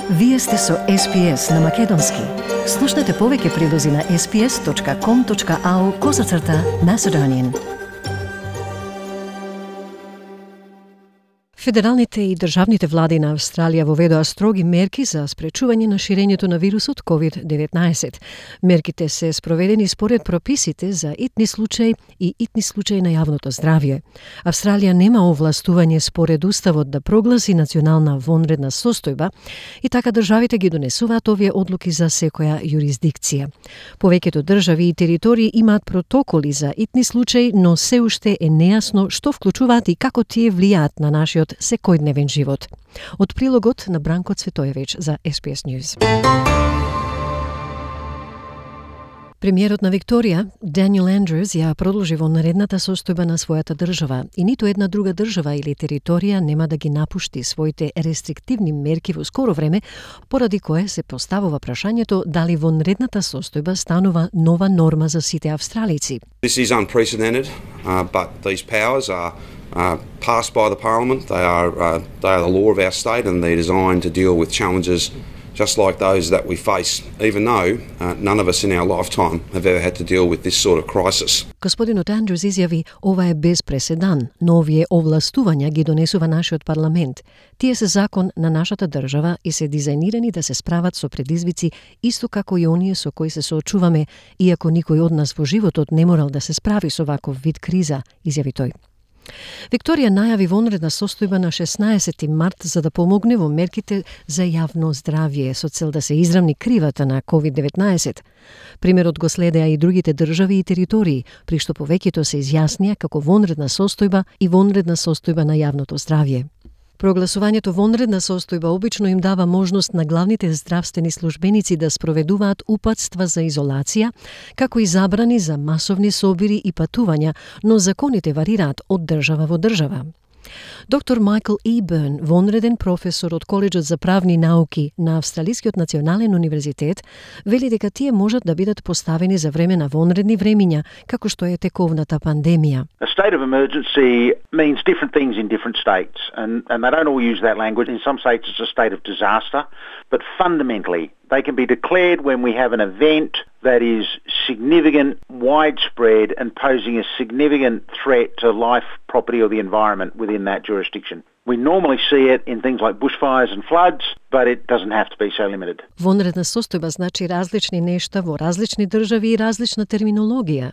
Вие сте со SPS на Македонски. Слушнете повеќе прилози на sps.com.au/Macedonian. Федералните и државните влади на Австралија воведоа строги мерки за спречување на ширењето на вирусот COVID-19. Мерките се спроведени според прописите за итни случаи и итни случаи на јавното здравје. Австралија нема овластување според уставот да прогласи национална вонредна состојба и така државите ги донесуваат овие одлуки за секоја јурисдикција. Повеќето држави и територии имаат протоколи за итни случаи, но се уште е нејасно што вклучуваат и како тие влијаат на нашиот секојдневен живот. Од прилогот на Бранко Цветоевич за SPS News. Премиерот на Викторија, Даниел Андрюс, ја продолжи вонредната состојба на својата држава и ниту една друга држава или територија нема да ги напушти своите рестриктивни мерки во скоро време, поради кое се поставува прашањето дали вонредната состојба станува нова норма за сите австралици. This is unprecedented, but these powers are passed by the Parliament. They are the law of our state, and they're designed to deal with challenges just like those that we face, even though none of us in our lifetime have ever had to deal with this sort of crisis. Господинот Андрюс изјави, ова е без преседан, но овие овластувања ги донесува нашиот парламент. Тие се закон на нашата држава и се дизајнирани да се справат со предизвици исто како и оние со кои се соочуваме, иако никој од нас во животот не морал да се справи со ваков вид криза, изјави тој. Викторија најави вонредна состојба на 16 март за да помогне во мерките за јавно здравје со цел да се изравни кривата на COVID-19. Примерот го следеа и другите држави и територии, при што повеќето се изјаснија како вонредна состојба и вонредна состојба на јавното здравје. Прогласувањето вонредна состојба обично им дава можност на главните здравствени службеници да спроведуваат упатства за изолација, како и забрани за масовни собири и патувања, но законите варираат од држава во држава. Доктор Майкл И. Бърн, вонреден професор од Коледжот за правни науки на Австралискиот национален универзитет, вели дека тие можат да бидат поставени за време на вонредни времиња, како што е тековната пандемија. A state of emergency means different things in different states, and they don't all use that language. In some states it's a state of disaster, but fundamentally they can be declared when we have an event that is significant, widespread, and posing a significant threat to life, property, or the environment within that jurisdiction. We normally see it in things like bushfires and floods, but it doesn't have to be so limited. Вонредна состојба значи различни нешта во различни држави и различна терминологија.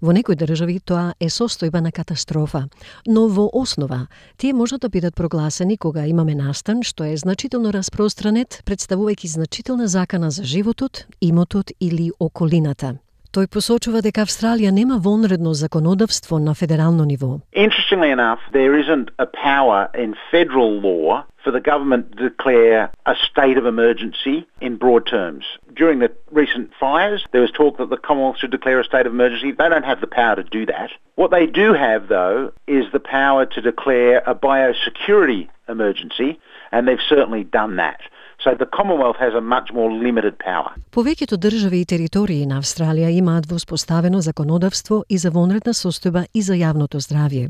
Во некои држави тоа е состојба на катастрофа, но во основа тие можат да бидат прогласени кога имаме настан што е значително распространет, представувајќи значителна закана за животот, имотот или околината. Тој посочува дека Австралија нема вонредно законодавство на федерално ниво. Interestingly enough, there isn't a power in federal law for the government to declare a state of emergency in broad terms. During the recent fires, there was talk that the Commonwealth should declare a state of emergency. They don't have the power to do that. What they do have, though, is the power to declare a biosecurity emergency, and they've certainly done that. So the Commonwealth has a much more limited power. Повеќето држави и територии на Австралија имаат воспоставено законодавство и за вонредна состојба и за јавното здравје.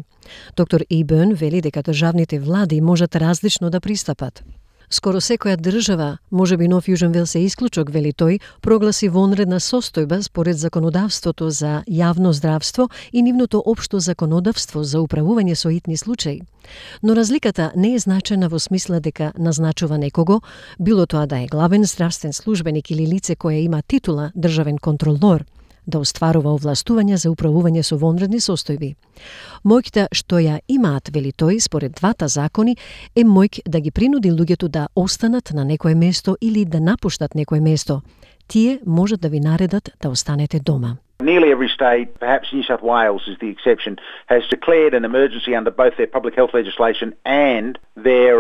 Доктор И. Бърн вели дека државните влади можат различно да пристапат. Скоро секоја држава, можеби Нов Јужен Велс е исклучок, вели тој, прогласи вонредна состојба според законодавството за јавно здравство и нивното општо законодавство за управување со итни случаи. Но разликата не е значена во смисла дека назначува некого, било тоа да е главен здравствен службеник или лице кое има титула државен контролор, да остварува овластувања за управување со вонредни состојби. Моќта што ја имаат, вели тој, според двата закони, е моќ да ги принуди луѓето да останат на некое место или да напуштат некое место. Тие можат да ви наредат да останете дома. Nearly every state, perhaps New South Wales is the exception, has declared an emergency under both their public health legislation and their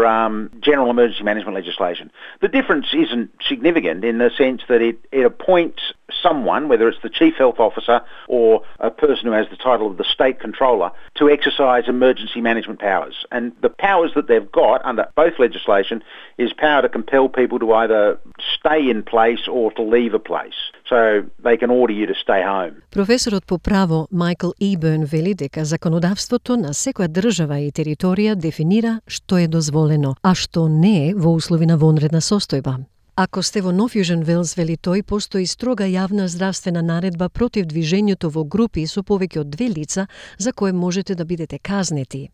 general emergency management legislation. The difference isn't significant in the sense that it appoints someone, whether it's the Chief Health Officer or a person who has the title of the State Controller, to exercise emergency management powers. And the powers that they've got under both legislation is power to compel people to either stay in place or to leave a place. so they can order you to stay home. Професорот по право Майкл Иберн вели дека законодавството на секоја држава и територија дефинира што е дозволено, а што не е во услови на вонредна состојба. Ако сте во Нов Јужен Велс, вели тој, постои строга јавна здравствена наредба против движењето во групи со повеќе од 2 лица за кое можете да бидете казнети.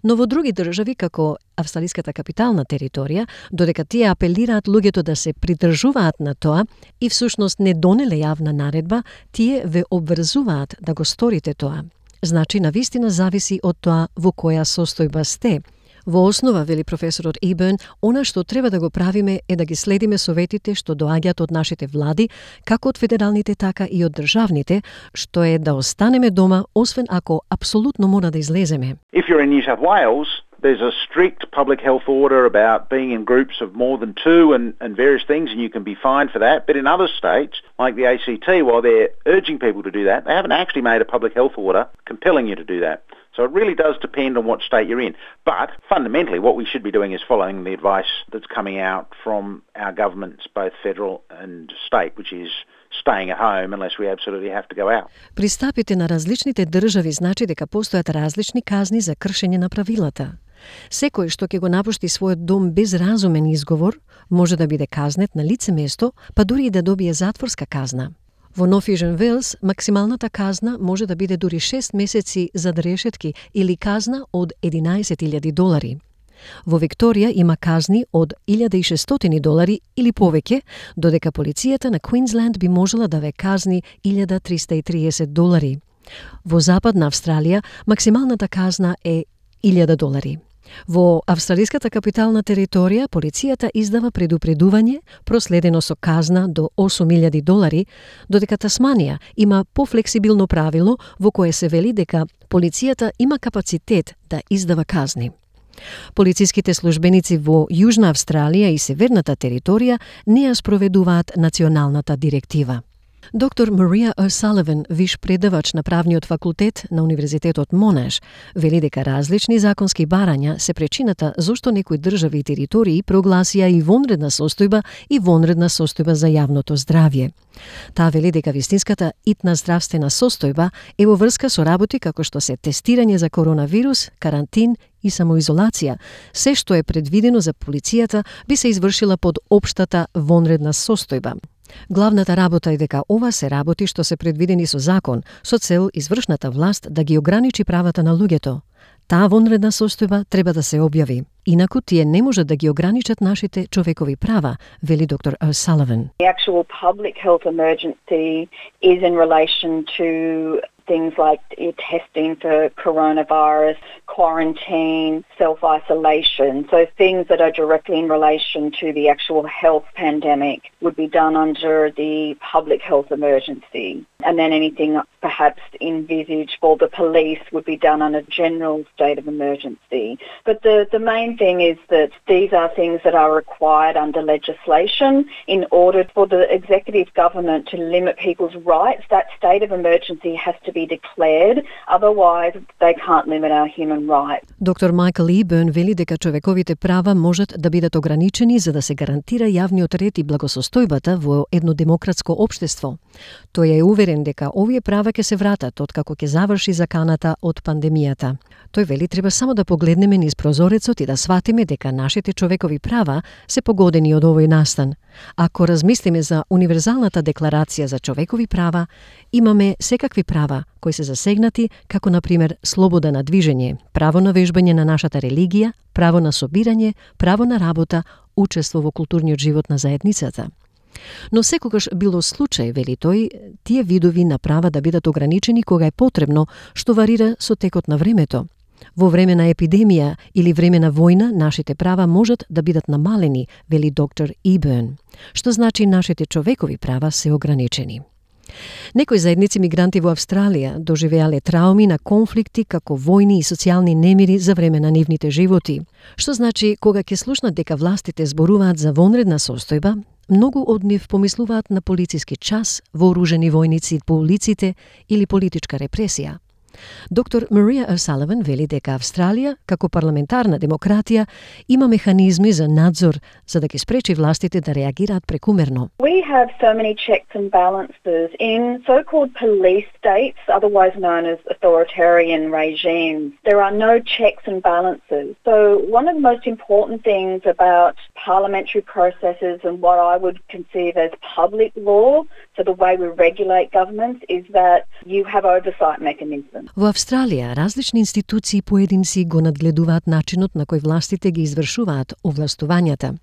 Но во други држави, како австралиската капитална територија, додека тие апелираат луѓето да се придржуваат на тоа и всушност не донеле јавна наредба, тие ве обврзуваат да го сторите тоа. Значи, навистина зависи од тоа во која состојба сте. Во основа, вели професорот Иберн, она што треба да го правиме е да ги следиме советите што доаѓаат од нашите влади, како од федералните, така и од државните, што е да останеме дома, освен ако апсолутно мора да излеземе. If you're in New South Wales, there's a strict public health order about being in groups of more than 2 and various things, and you can be fined for that. But in other states, like the ACT, while they're urging people to do that, they haven't actually made a public health order compelling you to do that. So it really does depend on what state you're in. But fundamentally, what we should be doing is following the advice that's coming out from our governments, both federal and state, which is staying at home unless we absolutely have to go out. Пристапите на различните држави значи дека постојат различни казни за кршење на правилата. Секој што ќе го напушти својот дом без разумен изговор, може да биде казнет на лице место, па дури и да добие затворска казна. Во Нов Јужен Велс, максималната казна може да биде дури 6 месеци зад решетки или казна од $11,000. Во Викторија има казни од $1,600 или повеќе, додека полицијата на Квинсленд би можела да ве казни $1,330. Во Западна Австралија, максималната казна е $1,000. Во австралиската капитална територија, полицијата издава предупредување, проследено со казна до $8,000, додека Тасманија има пофлексибилно правило во кое се вели дека полицијата има капацитет да издава казни. Полициските службеници во Јужна Австралија и Северната територија не ја спроведуваат националната директива. Доктор Марија О'Саливан, виш предавач на правниот факултет на Универзитетот Монаш, вели дека различни законски барања се причината зошто некои држави и територии прогласија и вонредна состојба за јавното здравје. Таа вели дека вистинската итна здравствена состојба е во врска со работи како што се тестирање за коронавирус, карантин и самоизолација. Се што е предвидено за полицијата би се извршила под општата вонредна состојба. Главната работа е дека ова се работи што се предвидени со закон, со цел извршната власт да ги ограничи правата на луѓето. Таа вонредна состојба треба да се објави. Инаку тие не можат да ги ограничат нашите човекови права, вели доктор О'Саливан. The actual public health emergency is in relation to things like testing for coronavirus, quarantine, self-isolation. So things that are directly in relation to the actual health pandemic would be done under the public health emergency. And then anything perhaps envisaged for the police would be done on a general state of emergency. But the main thing is that these are things that are required under legislation in order for the executive government to limit people's rights. That state of emergency has to be declared, otherwise they can't limit our human rights. Доктор Майкл Иберн вели дека човековите права можат да бидат ограничени за да се гарантира јавниот ред и благосостојбата во едно демократско општество. Тој е уверен дека овие права ќе се вратат откако ќе заврши заканата од пандемијата. Тој вели треба само да погледнеме низ прозорецот и да сватиме дека нашите човекови права се погодени од овој настан. Ако размислиме за универзалната декларација за човекови права, имаме секакви права кои се засегнати, како например слобода на движење, право на вежбање на нашата религија, право на собирање, право на работа, учество во културниот живот на заедницата. Но секогаш било случај, вели тој, тие видови на права да бидат ограничени кога е потребно, што варира со текот на времето. Во време на епидемија или време на војна, нашите права можат да бидат намалени, вели доктор Иберн, што значи нашите човекови права се ограничени. Некои заедници мигранти во Австралија доживеале трауми на конфликти како војни и социјални немири за време на нивните животи, што значи кога ќе слушнат дека властите зборуваат за вонредна состојба, многу од нив помислуваат на полициски час, вооружени војници по улиците или политичка репресија. Доктор Марија O'Sullivan вели дека Австралија, како парламентарна демократија, има механизми за надзор за да ги спречи властите да реагираат прекумерно. We have so many checks and balances in so-called police states, otherwise known as authoritarian regimes. There are no checks and balances. So one of the most important things about parliamentary processes and what I would conceive as public law, so the way we regulate governments, is that you have oversight mechanisms. Во Австралија, различни институции поединци го надгледуваат начинот на кој властите ги извршуваат овластувањата.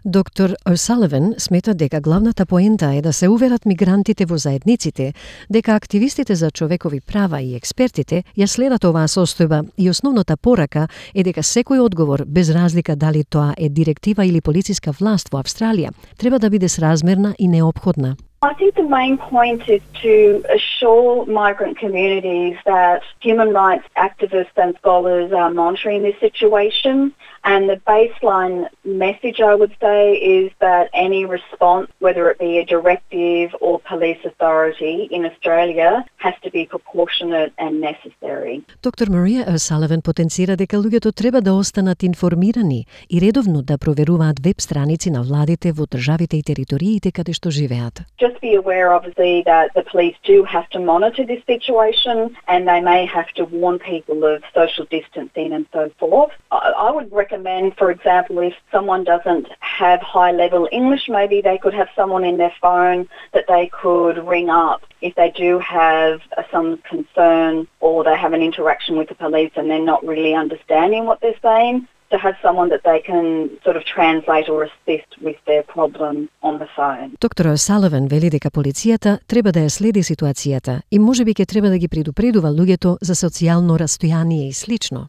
Доктор O'Sullivan смета дека главната поента е да се уверат мигрантите во заедниците, дека активистите за човекови права и експертите ја следат оваа состојба и основната порака е дека секој одговор, без разлика дали тоа е директива или полициска власт во Австралија, треба да биде сразмерна и неопходна. I think the main point is to assure migrant communities that human rights activists and scholars are monitoring this situation, and the baseline message, I would say, is that any response, whether it be a directive or police authority in Australia, has to be proportionate and necessary. Доктор Марија O'Sullivan потенцира дека луѓето треба да останат информирани и редовно да проверуваат веб страници на владите во државите и териториите каде што живеат. Just be aware, obviously, that the police do have to monitor this situation and they may have to warn people of social distancing and so forth. I would recommend, for example, if someone doesn't have high-level English, maybe they could have someone in their phone that they could ring up if they do have some concern or they have an interaction with the police and they're not really understanding what they're saying, to have someone that they can sort of translate or assist with their problem on the phone. Доктор O'Sullivan вели дека полицијата треба да ја следи ситуацијата и можеби ќе треба да ги предупредува луѓето за социјално растојание и слично.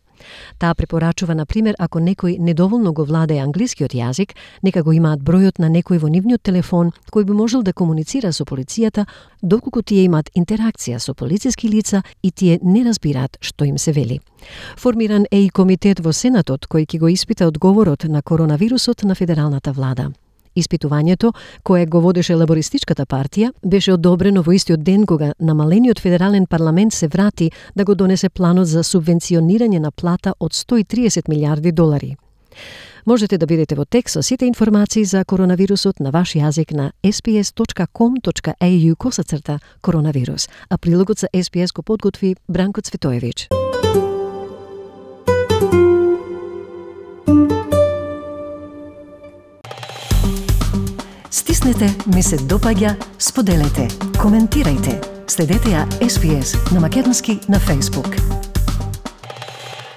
Таа препорачува, на пример, ако некој недоволно го владее англискиот јазик, нека го имаат бројот на некој во нивниот телефон кој би можел да комуницира со полицијата доколку тие имаат интеракција со полициски лица и тие не разбираат што им се вели. Формиран е и комитет во Сенатот кој ќе го испита одговорот на коронавирусот на федералната влада. Испитувањето, кое го водеше лабористичката партија, беше одобрено во истиот ден кога намалениот федерален парламент се врати да го донесе планот за субвенционирање на плата од $130 милиарди. Можете да бидете во текст со сите информации за коронавирусот на ваш јазик на sps.com.au/коронавирус, а прилогот за SPS го подготви Бранко Цветоевич. Стиснете, ми се допаѓа, споделете, коментирајте. Следете ја SPS на македонски на Facebook.